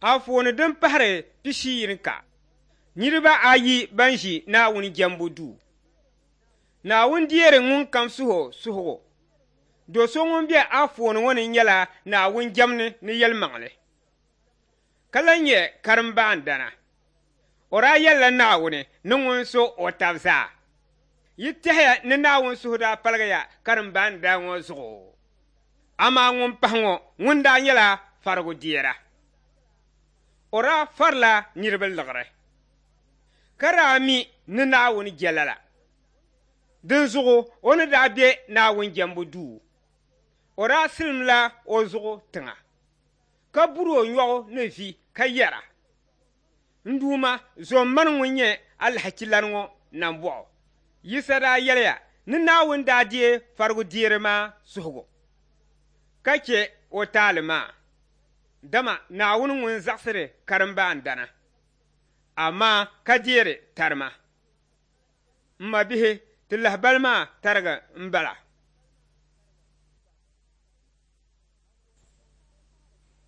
Anfooni din pahiri pishiyinika, niriba ayi ban ʒi Naawuni jɛmbu duu. Naawuni deeri ŋunkam suhi o suhigu. Do so ŋun be anfooni ŋɔ ni nyɛla Naawuni jɛmni ni yɛlimaŋli, ka lan nyɛ karimbaandana. O daa yɛlila Naawuni ni ŋun so o tab zaa. Yi tɛhiya ni Naawuni suhu daa paligiya karimbaandana ŋɔ zuɣu? Amaa ŋun pahi ŋɔ ŋun daa nyɛla farigudeera. O daa farila niriba liɣiri, ka daa mi ni Naawuni je lala. Dinzuɣu o ni daa be Naawuni jɛmbu duu, o daa silimla o zuɣu tiŋa, ka buri o nyɔɣu ni vi ka yɛra, N Duuma, zom mani ŋun nyɛ alahachilana ŋɔ nambɔɣu. Yisa daa yɛliya ni Naawuni daa deei farigudeeri maa suhigu, ka chɛ o taali maa, dama Naawuni ŋun zaɣisiri karimbaandana, amaa ka deeri tarima. M mabihi, ti lahibali maa tariga m-bala.